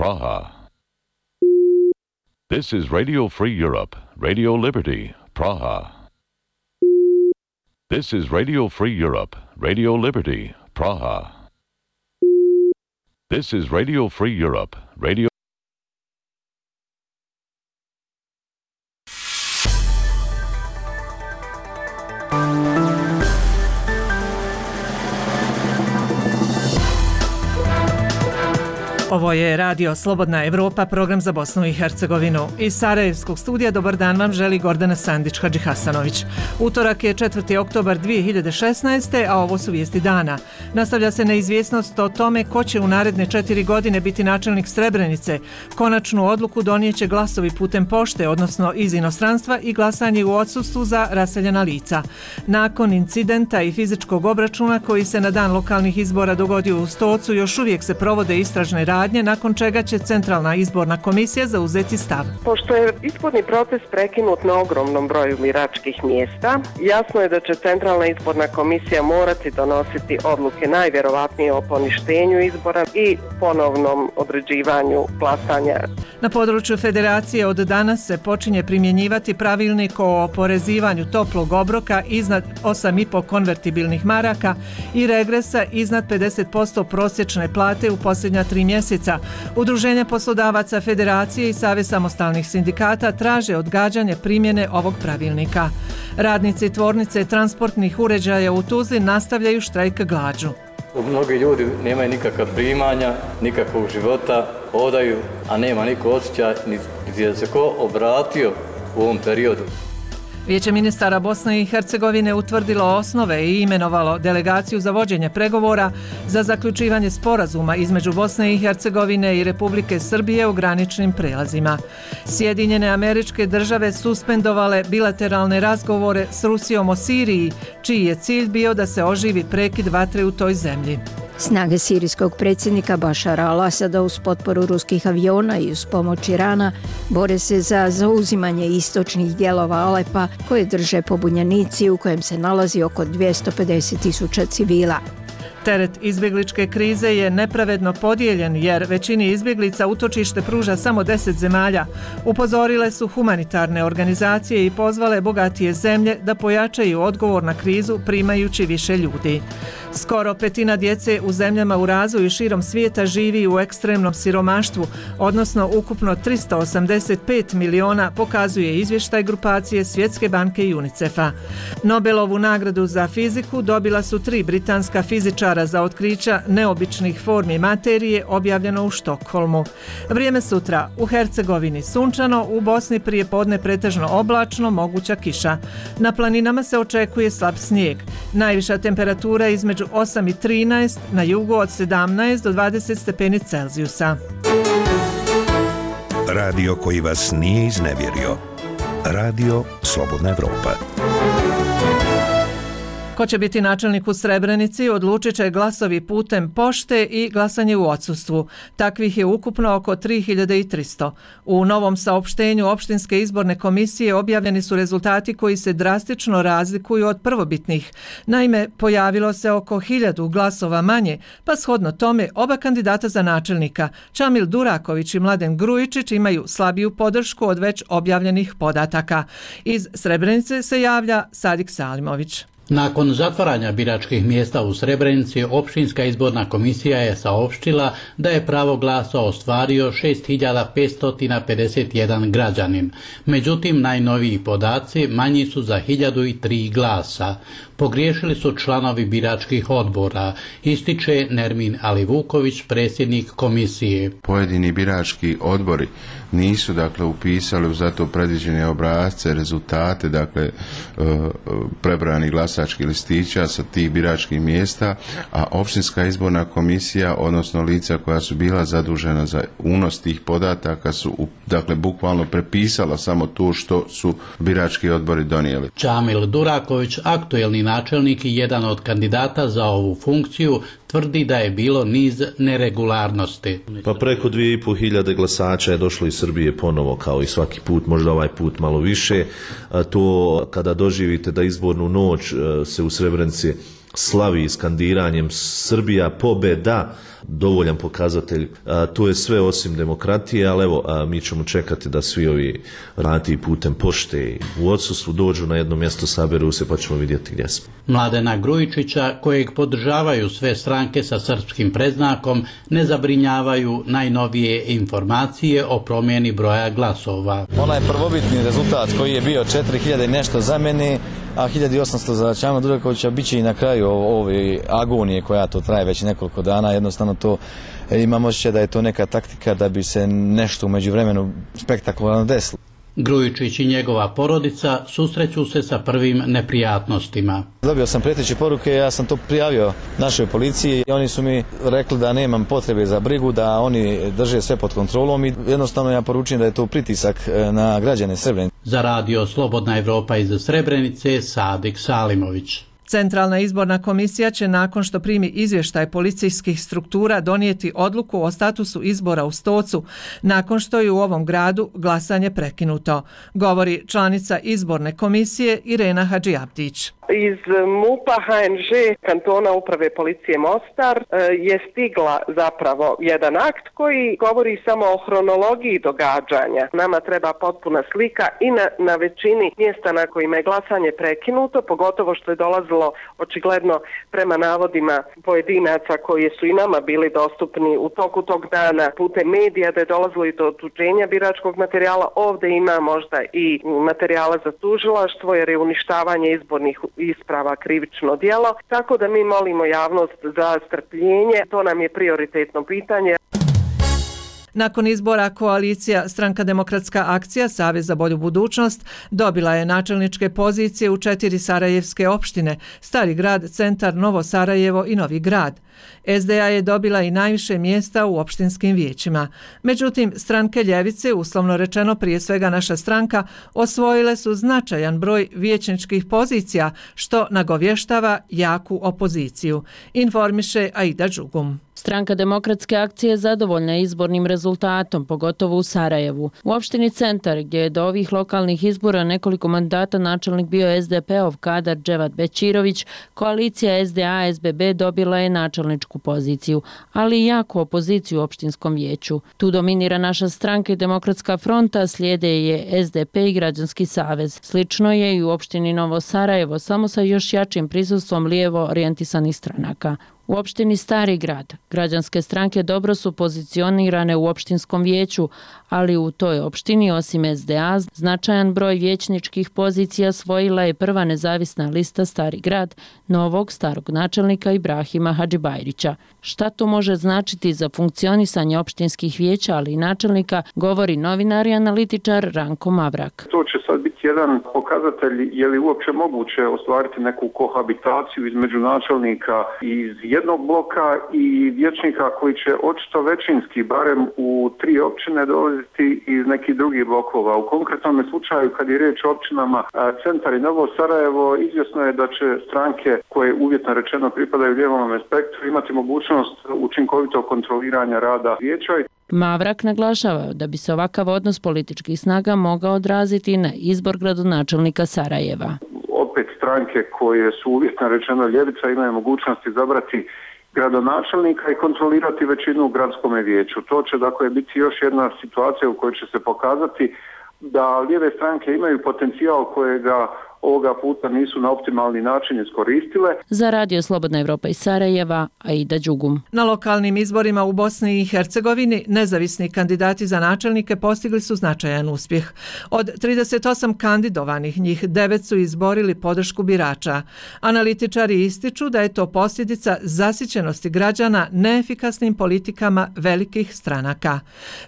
Praha. This is Radio Free Europe, Radio Liberty, Praha. This is Radio Free Europe, Radio Liberty, Praha. This is Radio Free Europe, Radio... Ovo je Radio Slobodna Evropa, program za Bosnu i Hercegovinu. Iz Sarajevskog studija dobar dan vam želi Gordana Sandić-Hadžihasanović. Utorak je 4. oktobar 2016. a ovo su vijesti dana. Nastavlja se neizvjesnost o tome ko će u naredne 4 godine biti načelnik Srebrenice. Konačnu odluku donijeće glasovi putem pošte, odnosno iz inostranstva, i glasanje u odsustvu za raseljena lica. Nakon incidenta i fizičkog obračuna koji se na dan lokalnih izbora dogodio u Stocu, još uvijek se provode istražne radnje, nakon čega će Centralna izborna komisija zauzeti stav. Pošto je izborni proces prekinut na ogromnom broju biračkih mjesta, jasno je da će Centralna izborna komisija morati donositi odluke najvjerovatnije o poništenju izbora i ponovnom određivanju glasanja. Na području Federacije od danas se počinje primjenjivati pravilnik o oporezivanju toplog obroka iznad 8,5 konvertibilnih maraka i regresa iznad 50% prosječne plate u posljednja 3 mjeseca. Udruženja poslodavaca Federacije i Savez samostalnih sindikata traže odgađanje primjene ovog pravilnika. Radnici tvornice transportnih uređaja u Tuzli nastavljaju štrajk glađu. Mnogi ljudi nemaju nikakva primanja, nikakvog života, hodaju, a nema niko osjećaj, niti je se ko obratio u ovom periodu. Vijeće ministara Bosne i Hercegovine utvrdilo osnove i imenovalo delegaciju za vođenje pregovora za zaključivanje sporazuma između Bosne i Hercegovine i Republike Srbije u graničnim prelazima. Sjedinjene Američke Države suspendovale bilateralne razgovore s Rusijom o Siriji, čiji je cilj bio da se oživi prekid vatre u toj zemlji. Snage sirijskog predsjednika Bašara al-Asada uz potporu ruskih aviona i uz pomoć Irana bore se za zauzimanje istočnih dijelova Alepa koje drže pobunjenici u kojem se nalazi oko 250.000 civila. Teret izbjegličke krize je nepravedno podijeljen jer većini izbjeglica utočište pruža samo 10 zemalja. Upozorile su humanitarne organizacije i pozvale bogatije zemlje da pojačaju odgovor na krizu primajući više ljudi. Skoro petina djece u zemljama u razvoju širom svijeta živi u ekstremnom siromaštvu, odnosno ukupno 385 miliona, pokazuje izvještaj grupacije Svjetske banke i UNICEF-a. Nobelovu nagradu za fiziku dobila su 3 britanska fizičara za otkrića neobičnih formi materije, objavljeno u Štokholmu. Vrijeme sutra: u Hercegovini sunčano, u Bosni prije podne pretežno oblačno, moguća kiša. Na planinama se očekuje slab snijeg. Najviša temperatura između 8 i 13, na jugu od 17 do 20 stepeni Celzijusa. Radio koji vas nije iznevjerio. Radio Slobodna Evropa. Ko će biti načelnik u Srebrenici odlučit će glasovi putem pošte i glasanje u odsustvu. Takvih je ukupno oko 3300. U novom saopštenju Opštinske izborne komisije objavljeni su rezultati koji se drastično razlikuju od prvobitnih. Naime, pojavilo se oko 1000 glasova manje, pa shodno tome oba kandidata za načelnika, Čamil Duraković i Mladen Grujičić, imaju slabiju podršku od već objavljenih podataka. Iz Srebrenice se javlja Sadik Salimović. Nakon zatvaranja biračkih mjesta u Srebrenici, Opštinska izborna komisija je saopštila da je pravo glasa ostvario 6551 građanin. Međutim, najnoviji podaci manji su za 1003 glasa. Pogriješili su članovi biračkih odbora, ističe Nermin Alivuković, predsjednik komisije. Pojedini birački odbori nisu upisali u zato predviđene obrasce, rezultate, prebrojanih glasačkih listića sa tih biračkih mjesta, a Opštinska izborna komisija, odnosno lica koja su bila zadužena za unos tih podataka, su bukvalno prepisala samo to što su birački odbori donijeli. Čamil Duraković, aktuelni načelnik i jedan od kandidata za ovu funkciju, tvrdi da je bilo niz neregularnosti. Pa preko 2500 glasača je došlo iz Srbije ponovo, kao i svaki put, možda ovaj put malo više. To kada doživite da izbornu noć se u Srebrenici slavi skandiranjem Srbija pobeda, dovoljan pokazatelj. To je sve osim demokratije, ali evo, mi ćemo čekati da svi ovi radi putem pošte u odsustvu dođu na jedno mjesto, saberu se, pa ćemo vidjeti gdje smo. Mladena Grujičića, kojeg podržavaju sve stranke sa srpskim predznakom, ne zabrinjavaju najnovije informacije o promjeni broja glasova. Onaj prvobitni rezultat koji je bio 4000 nešto za mene, a 1800 za Čama Durakovića, bit će i na kraju ove agonije koja to traje već nekoliko dana. Jednostavno to imam osjećaj da je to neka taktika da bi se nešto u međuvremenu spektakularno desilo. Grujičić i njegova porodica susreću se sa prvim neprijatnostima. Dobio sam prijeteće poruke, ja sam to prijavio našoj policiji i oni su mi rekli da nemam potrebe za brigu, da oni drže sve pod kontrolom i jednostavno ja poručujem da je to pritisak na građane Srebrenice. Za radio Slobodna Evropa iz Srebrenice, Sadik Salimović. Centralna izborna komisija će nakon što primi izvještaj policijskih struktura donijeti odluku o statusu izbora u Stocu, nakon što je u ovom gradu glasanje prekinuto, govori članica izborne komisije Irena Hadžiabdić. Iz MUP-a HNŽ kantona uprave policije Mostar je stigla zapravo jedan akt koji govori samo o hronologiji događanja. Nama treba potpuna slika i na većini mjesta na kojima je glasanje prekinuto, pogotovo što je dolazilo očigledno prema navodima pojedinaca koji su i nama bili dostupni u toku tog dana putem medija, da je dolazilo i do otuđenja biračkog materijala. Ovdje ima možda i materijala za tužilaštvo jer je uništavanje izbornih isprava krivično djelo, tako da mi molimo javnost za strpljenje, to nam je prioritetno pitanje. Nakon izbora koalicija Stranka demokratska akcija Savez za bolju budućnost dobila je načelničke pozicije u 4 sarajevske opštine, Stari grad, Centar, Novo Sarajevo i Novi grad. SDA je dobila i najviše mjesta u opštinskim vijećima. Međutim, stranke ljevice, uslovno rečeno prije svega naša stranka, osvojile su značajan broj vijećničkih pozicija, što nagovještava jaku opoziciju, informiše Aida Đugum. Stranka demokratske akcije zadovoljna je izbornim rezultatom, pogotovo u Sarajevu. U opštini Centar, gdje je do ovih lokalnih izbora nekoliko mandata načelnik bio SDP-ov kadar Dževat Bećirović, koalicija SDA-SBB dobila je načelničku poziciju, ali i jaku opoziciju u opštinskom vijeću. Tu dominira naša stranka i Demokratska fronta, slijede je SDP i Građanski savez. Slično je i u opštini Novo Sarajevo, samo sa još jačim prisustvom lijevo orijentisanih stranaka. U opštini Stari grad građanske stranke dobro su pozicionirane u opštinskom vijeću, ali u toj opštini osim SDA značajan broj vijećničkih pozicija osvojila je prva nezavisna lista Stari grad novog starog načelnika Ibrahima Hadžibajrića. Šta to može značiti za funkcionisanje opštinskih vijeća, ali i načelnika, govori novinar i analitičar Ranko Mavrak. To će sad biti jedan pokazatelj je li uopće moguće ostvariti neku kohabitaciju između načelnika iz jednog bloka i vijećnika koji će očito većinski, barem u 3 općine, dolaziti iz nekih drugih blokova. U konkretnom slučaju, kad je riječ o općinama Centar i Novo Sarajevo, izvjesno je da će stranke koje uvjetno rečeno pripadaju lijevom spektru imati mogućnost učinkovitog kontroliranja rada vijeća. Mavrak naglašava da bi se ovakav odnos političkih snaga mogao odraziti na izbor gradonačelnika Sarajeva. Opet stranke koje su uvjetno rečeno ljevica imaju mogućnost izabrati gradonačelnika i kontrolirati većinu u gradskom vijeću. To će dakle biti još jedna situacija u kojoj će se pokazati da lijeve stranke imaju potencijal kojega ovoga puta nisu na optimalni način iskoristile. Za radio Slobodna Evropa iz Sarajeva, Aida Đugum. Na lokalnim izborima u Bosni i Hercegovini nezavisni kandidati za načelnike postigli su značajan uspjeh. Od 38 kandidovanih, njih 9 su izborili podršku birača. Analitičari ističu da je to posljedica zasićenosti građana neefikasnim politikama velikih stranaka.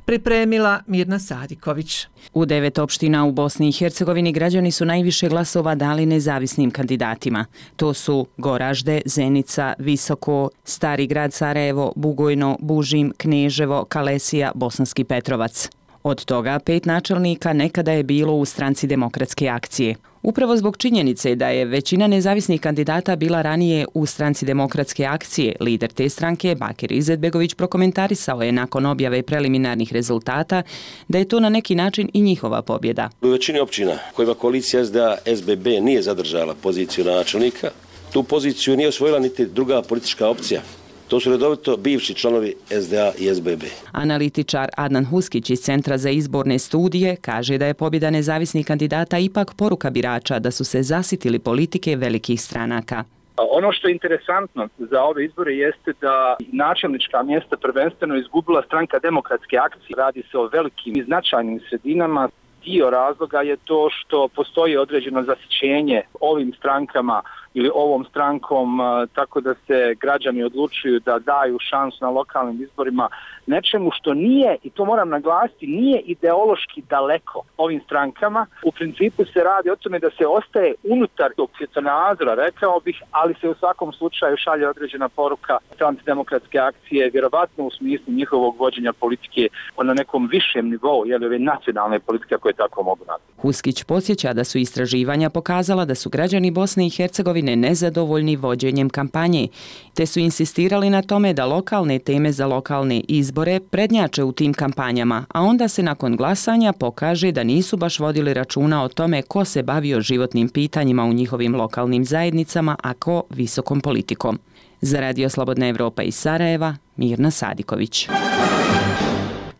Pripremila Mirna Sadiković. U 9 opština u Bosni i Hercegovini građani su najviše glasova dali nezavisnim kandidatima. To su Goražde, Zenica, Visoko, Stari grad Sarajevo, Bugojno, Bužim, Kneževo, Kalesija, Bosanski Petrovac. Od toga 5 načelnika nekada je bilo u Stranci demokratske akcije. Upravo zbog činjenice da je većina nezavisnih kandidata bila ranije u Stranci demokratske akcije, lider te stranke, Bakir Izetbegović, prokomentarisao je nakon objave preliminarnih rezultata da je to na neki način i njihova pobjeda. U većini općina kojima koalicija SDA-SBB nije zadržala poziciju načelnika, Tu poziciju nije osvojila niti druga politička opcija. To su redovito bivši članovi SDA i SBB. Analitičar Adnan Huskić iz Centra za izborne studije kaže da je pobjeda nezavisnih kandidata ipak poruka birača da su se zasitili politike velikih stranaka. Ono što je interesantno za ove izbore jeste da načelnička mjesta prvenstveno izgubila stranka Demokratske akcije. Radi se o velikim i značajnim sredinama. Dio razloga je to što postoji određeno zasićenje ovim strankama ili ovom strankom, tako da se građani odlučuju da daju šansu na lokalnim izborima nečemu što nije, i to moram naglasiti, nije ideološki daleko ovim strankama. U principu se radi o tome da se ostaje unutar tog svjetonazora, rekao bih, ali se u svakom slučaju šalje određena poruka antidemokratske akcije, vjerovatno u smislu njihovog vođenja politike na nekom višem nivou, jer ove nacionalne politike koje tako mogu nazvati. Huskić podsjeća da su istraživanja pokazala da su građani Bosne i Hercegovine nezadovoljni vođenjem kampanje, te su insistirali na tome da lokalne teme za lokalne izbore prednjače u tim kampanjama, a onda se nakon glasanja pokaže da nisu baš vodili računa o tome ko se bavio životnim pitanjima u njihovim lokalnim zajednicama, a ko visokom politikom. Za Radio Slobodna Evropa iz Sarajeva, Mirna Sadiković.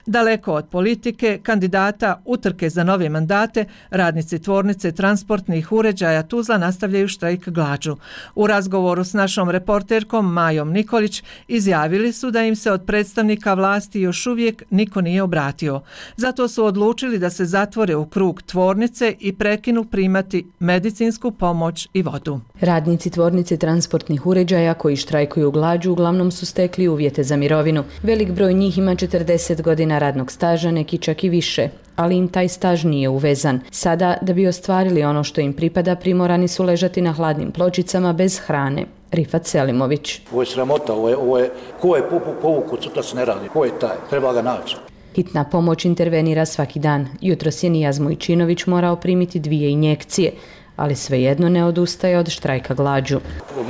Daleko od politike, kandidata, utrke za nove mandate, radnici tvornice transportnih uređaja Tuzla nastavljaju štrajk glađu. U razgovoru s našom reporterkom Majom Nikolić izjavili su da im se od predstavnika vlasti još uvijek niko nije obratio. Zato su odlučili da se zatvore u krug tvornice i prekinu primati medicinsku pomoć i vodu. Radnici tvornice transportnih uređaja koji štrajkuju glađu uglavnom su stekli uvjete za mirovinu. Velik broj njih ima 40 godina radnog staža, neki čak i više, ali im taj staž nije uvezan. Sada, da bi ostvarili ono što im pripada, primorani su ležati na hladnim pločicama bez hrane. Rifat Selimović. Ovo je sramota, ovo je ko je povukao, sutra se ne radi, ko je taj, treba ga naći. Hitna pomoć intervenira svaki dan. Jutros je Nijaz Mujčinović morao primiti 2 injekcije, ali svejedno ne odustaje od štrajka glađu.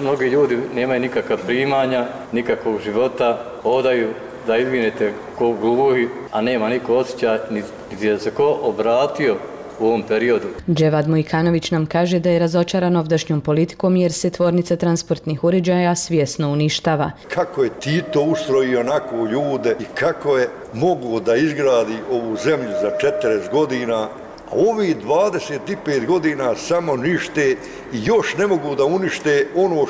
Mnogi ljudi nemaju nikakva primanja, nikakvog života, hodaju da izvinete ko gluhi, a nema niko osjećaj, niti je se ko obratio u ovom periodu. Dževad Mujkanović nam kaže da je razočaran ovdašnjom politikom jer se tvornica transportnih uređaja svjesno uništava. Kako je Tito ustrojio onako ljude i kako je mogu da izgradi ovu zemlju za 40 godina, a ovi 25 godina samo nište i još ne mogu da unište ono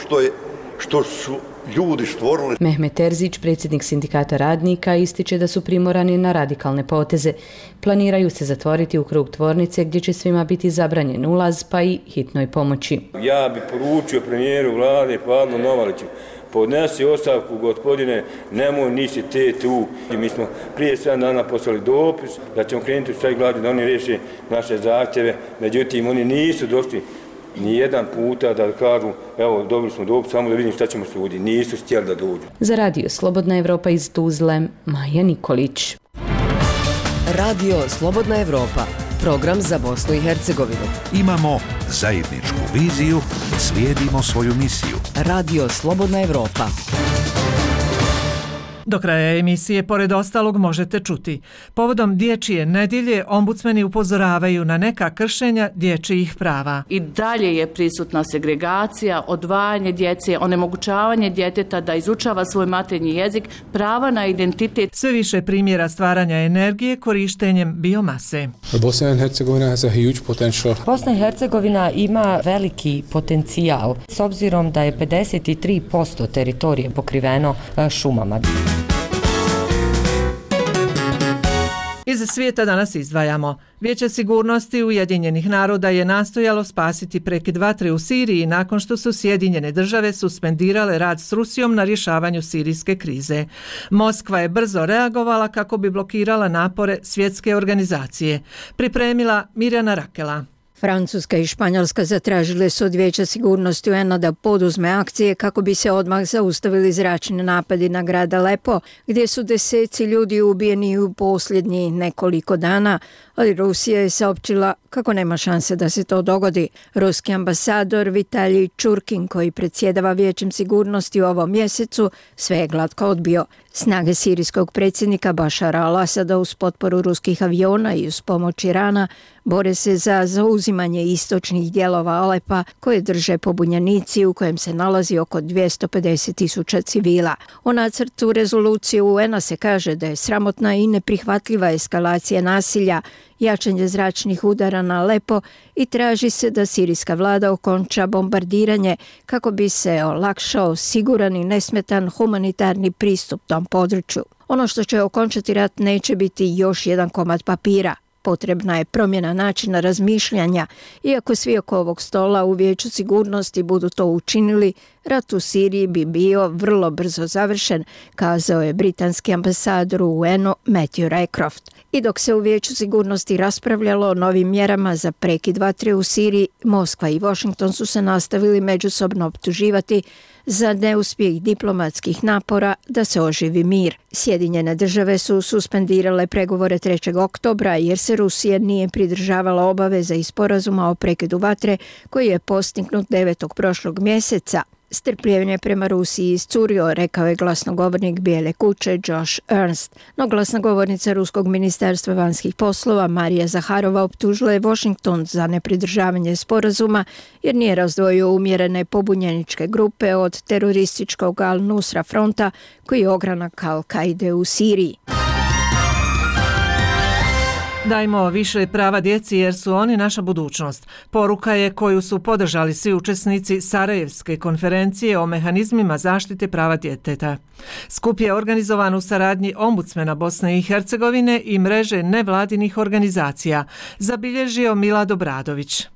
što su ljudi stvorili. Mehmet Terzić, predsjednik sindikata radnika, ističe da su primorani na radikalne poteze. Planiraju se zatvoriti u krug tvornice gdje će svima biti zabranjen ulaz, pa i hitnoj pomoći. Ja bi poručio premijeru vlade Pavlu Novaliću, podnesi ostavku, gospodine, nemoj nisi te tu. I mi smo prije 7 dana poslali dopis da ćemo krenuti u štrajk glađu da oni riješe naše zahtjeve, međutim oni nisu došli ni jedan puta da kažu evo dobili smo dopis samo da vidim šta ćemo suditi. Nisu htjeli da dođu. Za Radio Slobodna Evropa iz Tuzle, Maja Nikolić. Radio Slobodna Evropa, program za Bosnu i Hercegovinu. Imamo zajedničku viziju, slijedimo svoju misiju. Radio Slobodna Evropa. Do kraja emisije, pored ostalog, možete čuti. Povodom dječje nedjelje, ombudsmeni upozoravaju na neka kršenja dječjih prava. I dalje je prisutna segregacija, odvajanje djece, onemogućavanje djeteta da izučava svoj materinji jezik, prava na identitet. Sve više primjera stvaranja energije korištenjem biomase. Bosna i Hercegovina has a huge potential. Bosna i Hercegovina ima veliki potencijal s obzirom da je 53% teritorije pokriveno šumama. Iz svijeta danas izdvajamo. Vijeće sigurnosti Ujedinjenih naroda je nastojalo spasiti prekid vatre u Siriji nakon što su Sjedinjene države suspendirale rad s Rusijom na rješavanju sirijske krize. Moskva je brzo reagovala kako bi blokirala napore svjetske organizacije. Pripremila Mirjana Rakela. Francuska i Španjolska zatražile su od Vijeća sigurnosti UN-a da poduzme akcije kako bi se odmah zaustavili zračni napadi na grad Alepo, gdje su deseci ljudi ubijeni u posljednjih nekoliko dana, ali Rusija je saopćila kako nema šanse da se to dogodi. Ruski ambasador Vitalij Čurkin, koji predsjedava Vijećem sigurnosti u ovom mjesecu, sve je glatko odbio. Snage sirijskog predsjednika Bašara al-Asada uz potporu ruskih aviona i uz pomoć Irana Bore se za zauzimanje istočnih dijelova Alepa koje drže pobunjenici u kojem se nalazi oko 250.000 civila. O nacrtu rezolucije UN-a se kaže da je sramotna i neprihvatljiva eskalacija nasilja, jačanje zračnih udara na Alepo i traži se da sirijska vlada okonča bombardiranje kako bi se olakšao siguran i nesmetan humanitarni pristup tom području. Ono što će okončati rat neće biti još jedan komad papira. Potrebna je promjena načina razmišljanja. Iako svi oko ovog stola u Vijeću sigurnosti budu to učinili, rat u Siriji bi bio vrlo brzo završen, kazao je britanski ambasador u UN-u Matthew Rycroft. I dok se u Vijeću sigurnosti raspravljalo o novim mjerama za prekid vatre u Siriji, Moskva i Washington su se nastavili međusobno optuživati za neuspjeh diplomatskih napora da se oživi mir. Sjedinjene države su suspendirale pregovore 3. oktobra jer se Rusija nije pridržavala obaveza iz sporazuma o prekidu vatre koji je postignut 9. prošlog mjeseca. Strpljenje prema Rusiji iscurio, rekao je glasnogovornik Bijele kuće Josh Ernst. No glasnogovornica Ruskog ministarstva vanjskih poslova Marija Zaharova optužila je Washington za nepridržavanje sporazuma jer nije razdvojio umjerene pobunjeničke grupe od terorističkog Al-Nusra fronta koji je ogranak Al-Kaide u Siriji. Dajmo više prava djeci jer su oni naša budućnost. Poruka je koju su podržali svi učesnici Sarajevske konferencije o mehanizmima zaštite prava djeteta. Skup je organizovan u saradnji Ombudsmena Bosne i Hercegovine i mreže nevladinih organizacija, zabilježio Milad Obradović.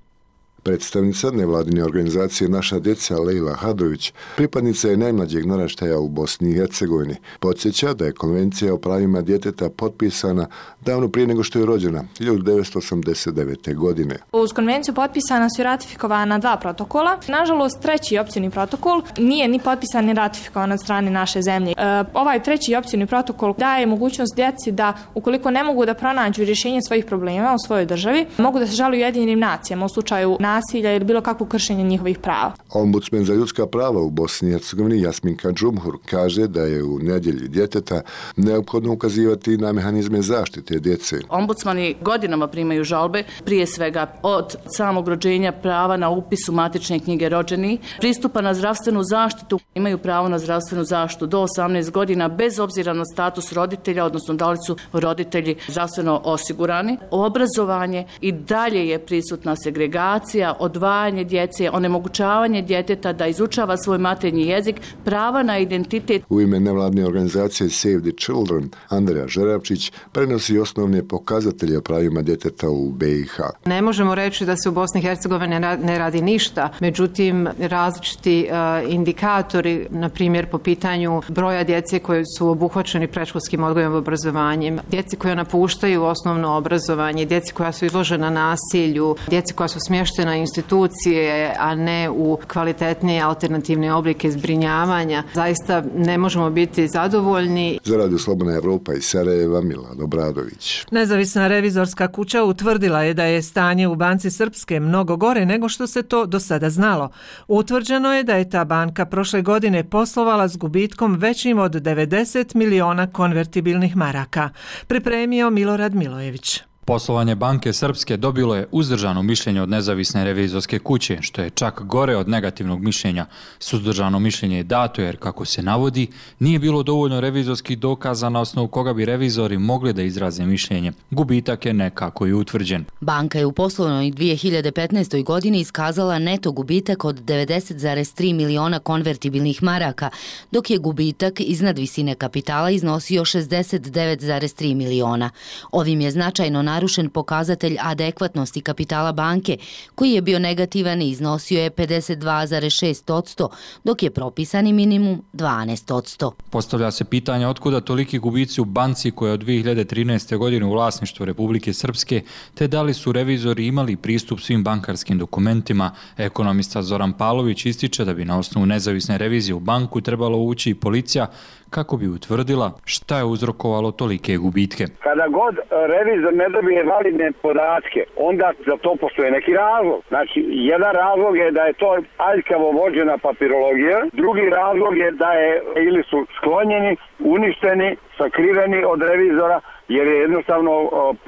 Predstavnica nevladine organizacije Naša djeca Lejla Hadrović, pripadnica je najmlađeg naraštaja u Bosni i Hercegovini. Podsjeća da je Konvencija o pravima djeteta potpisana davno prije nego što je rođena, 1989. godine. Uz konvenciju potpisana su i ratifikovana 2 protokola. Nažalost, 3. opcijni protokol nije ni potpisan ni ratifikovan od strane naše zemlje. Ovaj 3. opcijni protokol daje mogućnost djeci da, ukoliko ne mogu da pronađu rješenje svojih problema u svojoj državi, mogu da se žale Ujedinjenim nacijama u slučaju nasilja ili bilo kakvo kršenje njihovih prava. Ombudsmen za ljudska prava u Bosni i Hercegovini Jasminka Džumhur kaže da je u nedjelji djeteta neophodno ukazivati na mehanizme zaštite djece. Ombudsmani godinama primaju žalbe, prije svega od samog rođenja, prava na upis u matične knjige rođenih, pristupa na zdravstvenu zaštitu, imaju pravo na zdravstvenu zaštitu do 18 godina bez obzira na status roditelja, odnosno da li su roditelji zdravstveno osigurani. Obrazovanje i dalje je prisutna segregacija, odvajanje djece, onemogućavanje djeteta da izučava svoj materinji jezik, prava na identitet. U ime nevladne organizacije Save the Children, Andreja Žeravčić prenosi osnovne pokazatelje o pravima djeteta u BiH. Ne možemo reći da se u Bosni i Hercegovini ne radi ništa, međutim različiti indikatori, na primjer po pitanju broja djece koji su obuhvaćeni predškolskim odgojem i obrazovanjem, djeci koja napuštaju osnovno obrazovanje, djeci koja su izložena nasilju, djeci koja su smještena institucije, a ne u kvalitetnije alternativne oblike zbrinjavanja. Zaista ne možemo biti zadovoljni. Za Radio Slobodna Evropa iz Sarajeva, Milad Obradović. Nezavisna revizorska kuća utvrdila je da je stanje u Banci Srpske mnogo gore nego što se to do sada znalo. Utvrđeno je da je ta banka prošle godine poslovala s gubitkom većim od 90 miliona konvertibilnih maraka. Pripremio Milorad Milojević. Poslovanje Banke Srpske dobilo je uzdržano mišljenje od nezavisne revizorske kuće, što je čak gore od negativnog mišljenja. Suzdržano mišljenje je dato jer, kako se navodi, nije bilo dovoljno revizorskih dokaza na osnovu koga bi revizori mogli da izraze mišljenje. Gubitak je nekako i utvrđen. Banka je u poslovnoj 2015. godini iskazala neto gubitak od 90,3 miliona konvertibilnih maraka, dok je gubitak iznad visine kapitala iznosio 69,3 miliona. Ovim je značajno narušen pokazatelj adekvatnosti kapitala banke, koji je bio negativan i iznosio je 52,6%, dok je propisani minimum 12%. Postavlja se pitanje otkuda toliki gubici u banci koja je od 2013. godine u vlasništvu Republike Srpske, te da li su revizori imali pristup svim bankarskim dokumentima. Ekonomista Zoran Palović ističe da bi na osnovu nezavisne revizije u banku trebalo ući i policija kako bi utvrdila šta je uzrokovalo tolike gubitke. Kada god revizor ne dobije validne podatke, onda za to postoje neki razlog. Znači, jedan razlog je da je to aljkavo vođena papirologija, drugi razlog je da je ili su sklonjeni, uništeni, sakriveni od revizora jer je jednostavno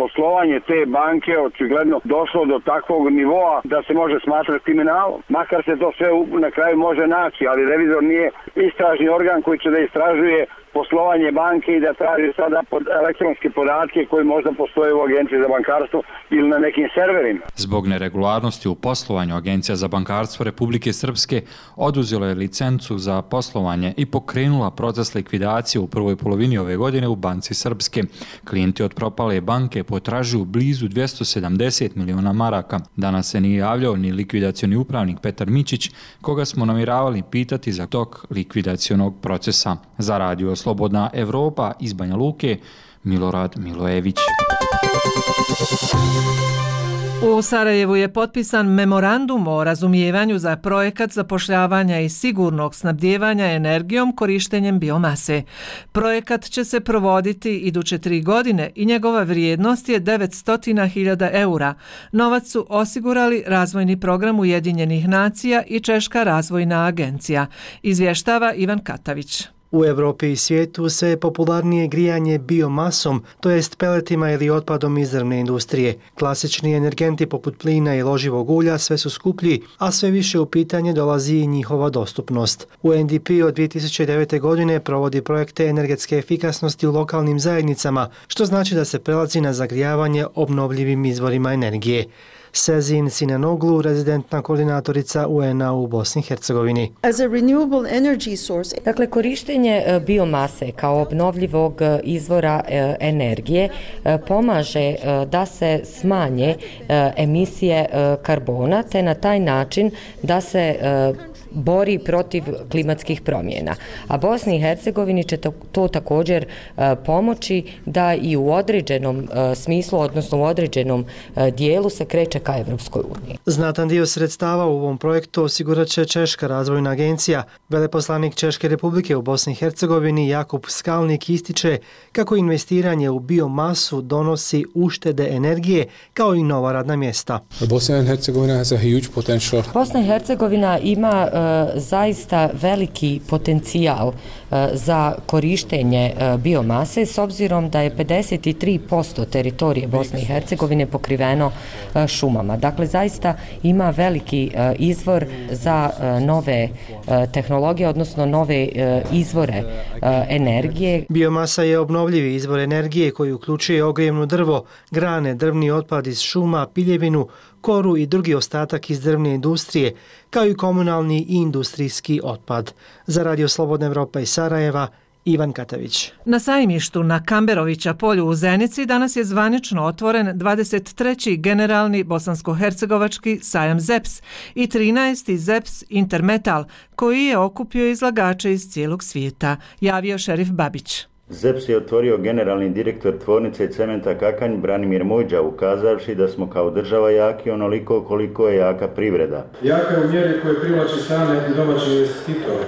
poslovanje te banke očigledno došlo do takvog nivoa da se može smatrati kriminalom. Makar se to sve na kraju može naći, ali revizor nije istražni organ koji će da istražuje poslovanje banke i da traži sada elektronske podatke koji možda postoje u Agenciji za bankarstvo ili na nekim serverima. Zbog neregularnosti u poslovanju, Agencija za bankarstvo Republike Srpske oduzela je licencu za poslovanje i pokrenula proces likvidacije u prvoj polovini ove godine u Banci Srpske. Klijenti od propale banke potražuju blizu 270 miliona maraka. Danas se nije javljao ni likvidacioni upravnik Petar Mićić, koga smo namjeravali pitati za tok likvidacionog procesa. Za Radio Slobodna Evropa iz Banja Luke, Milorad Milojević. U Sarajevu je potpisan memorandum o razumijevanju za projekat zapošljavanja i sigurnog snabdijevanja energijom korištenjem biomase. Projekat će se provoditi iduće 3 godine i njegova vrijednost je 900.000 eura. Novac su osigurali razvojni program Ujedinjenih nacija i Češka razvojna agencija, izvještava Ivan Katavić. U Evropi i svijetu sve je popularnije grijanje biomasom, to jest peletima ili otpadom iz drvne industrije. Klasični energenti poput plina i loživog ulja sve su skuplji, a sve više u pitanje dolazi i njihova dostupnost. UNDP od 2009. godine provodi projekte energetske efikasnosti u lokalnim zajednicama, što znači da se prelazi na zagrijavanje obnovljivim izvorima energije. Sezin Sinanoglu, rezidentna koordinatorica UN-a u Bosni i Hercegovini. Dakle, korištenje biomase kao obnovljivog izvora energije pomaže da se smanje emisije karbona, te na taj način da se bori protiv klimatskih promjena. A Bosni i Hercegovini će to također pomoći da i u određenom smislu, odnosno u određenom dijelu se kreće ka Evropskoj uniji. Znatan dio sredstava u ovom projektu osigurat će Češka razvojna agencija. Veleposlanik Češke republike u Bosni i Hercegovini Jakub Skalnik ističe kako investiranje u biomasu donosi uštede energije kao i nova radna mjesta. Bosnia and Herzegovina has a huge potential. Bosna i Hercegovina ima zaista veliki potencijal za korištenje biomase s obzirom da je 53% teritorije Bosne i Hercegovine pokriveno šumama. Dakle, zaista ima veliki izvor za nove tehnologije, odnosno nove izvore energije. Biomasa je obnovljivi izvor energije koji uključuje ogrijevno drvo, grane, drvni otpad iz šuma, piljevinu, koru i drugi ostatak iz drvne industrije, kao i komunalni i industrijski otpad. Za Radio Slobodna Evropa iz Sarajeva, Ivan Katavić. Na sajmištu na Kamberovića polju u Zenici danas je zvanično otvoren 23. generalni bosansko-hercegovački sajam ZEPS i 13. ZEPS Intermetal, koji je okupio izlagače iz cijelog svijeta, javio šerif Babić. ZEPS je otvorio generalni direktor tvornice cementa Kakanj Branimir Mojđa, ukazavši da smo kao država jaki onoliko koliko je jaka privreda. Jaka je u mjeri koje privlači strane i domaće investitore.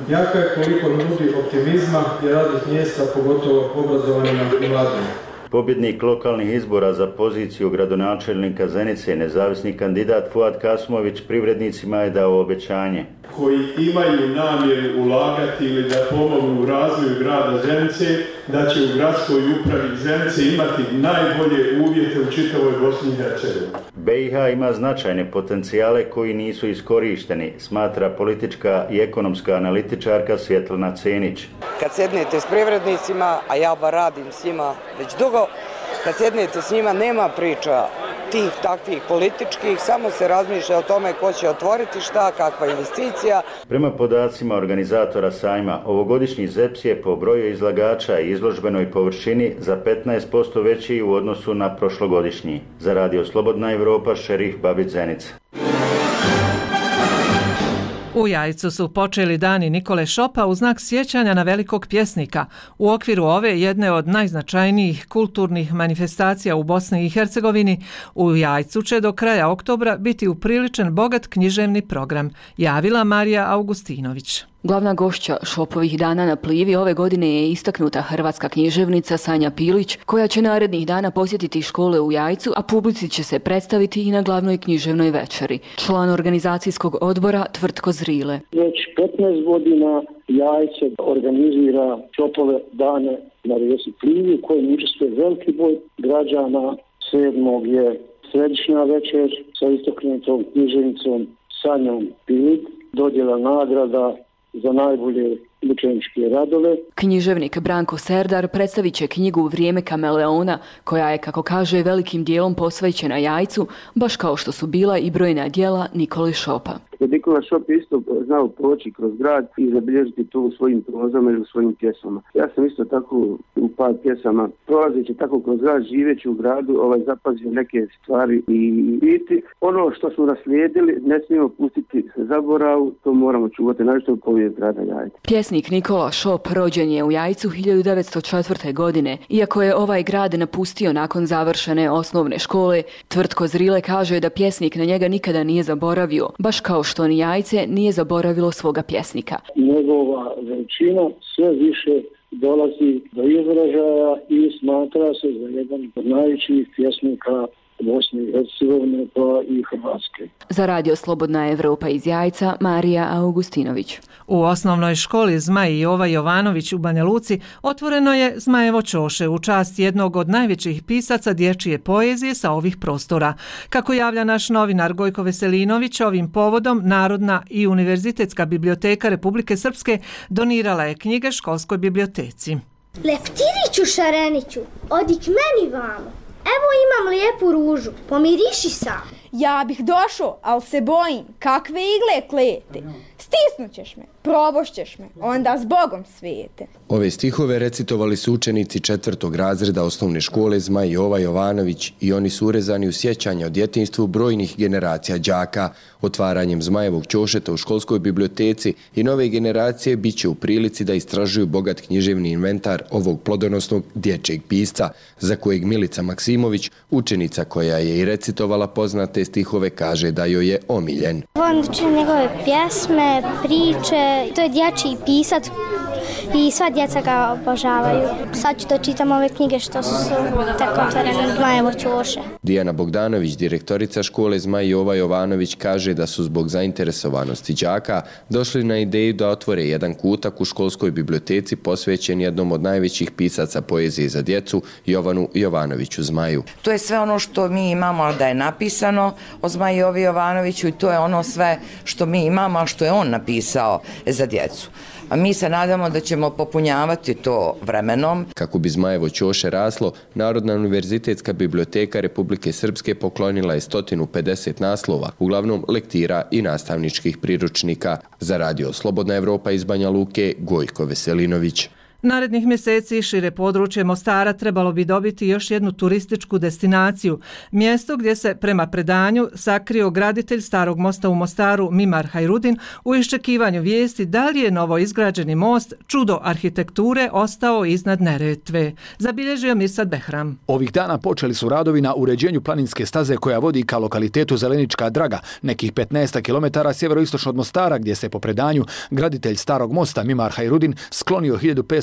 Jaka je koliko nudi optimizma i radnih mjesta, pogotovo obrazovanima i mladima. Pobjednik lokalnih izbora za poziciju gradonačelnika Zenice, nezavisni kandidat Fuad Kasmović, privrednicima je dao obećanje. Koji imaju namjeru ulagati ili da pomognu u razvoju grada Zenice, da će u gradskoj upravi Zenice imati najbolje uvjete u čitavoj Bosni i Hercegovini. BiH ima značajne potencijale koji nisu iskorišteni, smatra politička i ekonomska analitičarka Svjetlana Cenić. Kad sednete s privrednicima, a ja bar radim s njima već dugo, kad sednete s njima nema priča tih takvih političkih, samo se razmišlja o tome ko će otvoriti šta, kakva investicija. Prema podacima organizatora sajma, ovogodišnji ZEPS je po broju izlagača i izložbenoj površini za 15% veći u odnosu na prošlogodišnji. Za Radio Slobodna Evropa, šerif Babić Zenica. U Jajcu su počeli dani Nikole Šopa u znak sjećanja na velikog pjesnika. U okviru ove jedne od najznačajnijih kulturnih manifestacija u Bosni i Hercegovini, u Jajcu će do kraja oktobra biti upriličen bogat književni program, javila Marija Augustinović. Glavna gošća Šopovih dana na Plivi ove godine je istaknuta hrvatska književnica Sanja Pilić, koja će narednih dana posjetiti škole u Jajcu, a publici će se predstaviti i na glavnoj književnoj večeri. Član organizacijskog odbora Tvrtko Zrile. Već 15 godina Jajce organizira Šopove dane na rijeci Plivi, u kojem učestvuje veliki broj građana. 7. je središnja večer sa istaknutom književnicom Sanjom Pilić, dodjela nagrada za najbolje učeničke radove. Književnik Branko Serdar predstavit će knjigu Vrijeme kameleona, koja je, kako kaže, velikim dijelom posvećena Jajcu, baš kao što su bila i brojna djela Nikole Šopa. Nikola Šop isto znao proći kroz grad i zabilježiti to u svojim prozama ili u svojim pjesmama. Ja sam isto tako u par pjesama, prolazeći tako kroz grad, živeći u gradu, zapazio neke stvari i biti. Ono što smo naslijedili ne smijemo pustiti se zaboravu, to moramo čuvati, našto u povijest grada Jajca. Pjesnik Nikola Šop rođen je u Jajcu 1904. godine. Iako je ovaj grad napustio nakon završene osnovne škole, Tvrtko Zrile kaže da pjesnik na njega nikada nije zaboravio, baš kao što ni Jajce nije zaboravilo svoga pjesnika. Njegova veličina sve više dolazi do izražaja i smatra se za jedan od najvećih pjesnika Bosne i Hercegovine pa i Hrvatske. Za Radio Slobodna Evropa iz Jajca, Marija Augustinović. U osnovnoj školi Zmaj Jova Jovanović u Banja Luci otvoreno je Zmajevo ćoše u čast jednog od najvećih pisaca dječje poezije sa ovih prostora. Kako javlja naš novinar Gojko Veselinović, ovim povodom Narodna i Univerzitetska biblioteka Republike Srpske donirala je knjige školskoj biblioteci. Leptiriću Šareniću, odi k meni vamo. Evo imam lijepu ružu, pomiriši sam. Ja bih došao, ali se bojim, kakve igle klete. Stisnućeš me, probošćeš me, onda s Bogom svijete. Ove stihove recitovali su učenici 4. razreda osnovne škole Zmaj Jova Jovanović i oni su urezani u sjećanje o djetinjstvu brojnih generacija đaka. Otvaranjem Zmajevog ćošeta u školskoj biblioteci i nove generacije bit će u prilici da istražuju bogat književni inventar ovog plodonosnog dječjeg pisca, za kojeg Milica Maksimović, učenica koja je i recitovala poznate stihove, kaže da joj je omiljen. Volim da čitam njegove pjesme, priče, to je dječji pisac i sva djeca ga obožavaju. Sad ću da čitam ove knjige što su tako otvorene Zmajevo ćoše. Dijana Bogdanović, direktorica škole Zmaj Jova Jovanović, kaže da su zbog zainteresovanosti đaka došli na ideju da otvore jedan kutak u školskoj biblioteci posvećen jednom od najvećih pisaca poezije za djecu, Jovanu Jovanoviću Zmaju. To je sve ono što mi imamo da je napisano o Zmaju Jovi Jovanoviću i to je ono sve što mi imamo, a što je on napisao za djecu. A mi se nadamo da ćemo popunjavati to vremenom. Kako bi Zmajevo ćoše raslo, Narodna univerzitetska biblioteka Republike Srpske poklonila je 150 naslova, uglavnom lektira i nastavničkih priručnika. Za Radio Slobodna Evropa iz Banja Luke, Gojko Veselinović. Narednih mjeseci šire područje Mostara trebalo bi dobiti još jednu turističku destinaciju, mjesto gdje se prema predanju sakrio graditelj Starog mosta u Mostaru Mimar Hajrudin u iščekivanju vijesti da li je novo izgrađeni most, čudo arhitekture, ostao iznad Neretve. Zabilježio Mirsad Behram. Ovih dana počeli su radovi na uređenju planinske staze koja vodi ka lokalitetu Zelenička Draga, nekih 15 km sjeveroistočno od Mostara, gdje se po predanju graditelj Starog mosta Mimar Hajrudin sklonio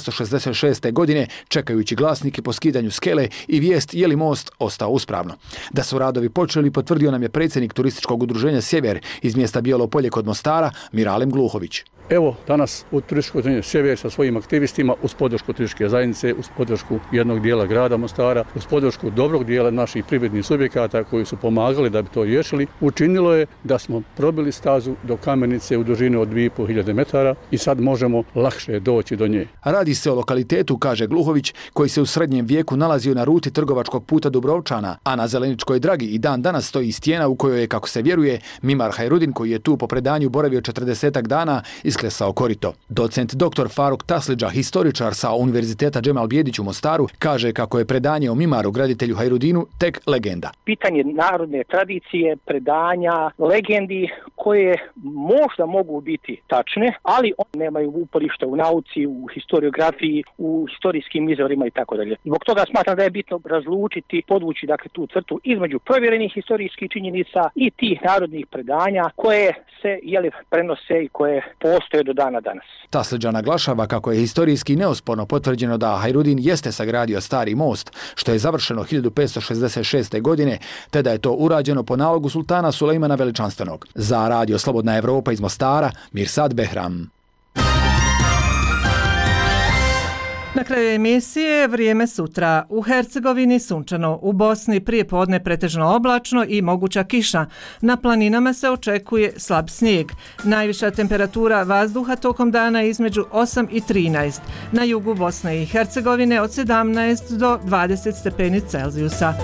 1566. godine, čekajući glasnike po skidanju skele i vijest je li most ostao uspravno. Da su radovi počeli, potvrdio nam je predsjednik turističkog udruženja Sjever iz mjesta Bijelo Polje kod Mostara, Miralem Gluhović. Evo danas u turističkoj udruženju Sjever sa svojim aktivistima uz podršku turističke zajednice, uz podršku jednog dijela grada Mostara, uz podršku dobrog dijela naših privrednih subjekata koji su pomagali da bi to riješili, učinilo je da smo probili stazu do Kamenice u dužini od 2500 metara i sad možemo lakše doći do nje. Radi se o lokalitetu, kaže Gluhović, koji se u srednjem vijeku nalazio na ruti trgovačkog puta Dubrovčana, a na Zeleničkoj Dragi i dan danas stoji stijena u kojoj je, kako se vjeruje, Mimar Hajrudin, koji je tu po predanju boravio 40 dana, isklesao korito. Docent dr. Faruk Tasliđa, historičar sa Univerziteta Džemal Bijedić u Mostaru, kaže kako je predanje o Mimaru, graditelju Hajrudinu, tek legenda. Pitanje narodne tradicije, predanja, legendi koje možda mogu biti tačne, ali one nemaju uporišta u nauci, u historiografiji, u historijskim izvorima i tako dalje. Zbog toga smatram da je bitno razlučiti, podvući dakle tu crtu između provjerenih historijskih činjenica i tih narodnih predanja koje se prenose i koje postoje ostaje do dana danas. Taslidža naglašava kako je historijski neosporno potvrđeno da Hajrudin jeste sagradio stari most, što je završeno 1566. godine, te da je to urađeno po nalogu sultana Sulejmana Veličanstvenog. Za Radio Slobodna Evropa iz Mostara, Mirsad Behram. Na kraju emisije vrijeme sutra. U Hercegovini sunčano, u Bosni prije podne pretežno oblačno i moguća kiša. Na planinama se očekuje slab snijeg. Najviša temperatura vazduha tokom dana između 8 i 13. Na jugu Bosne i Hercegovine od 17 do 20 stepeni Celzijusa.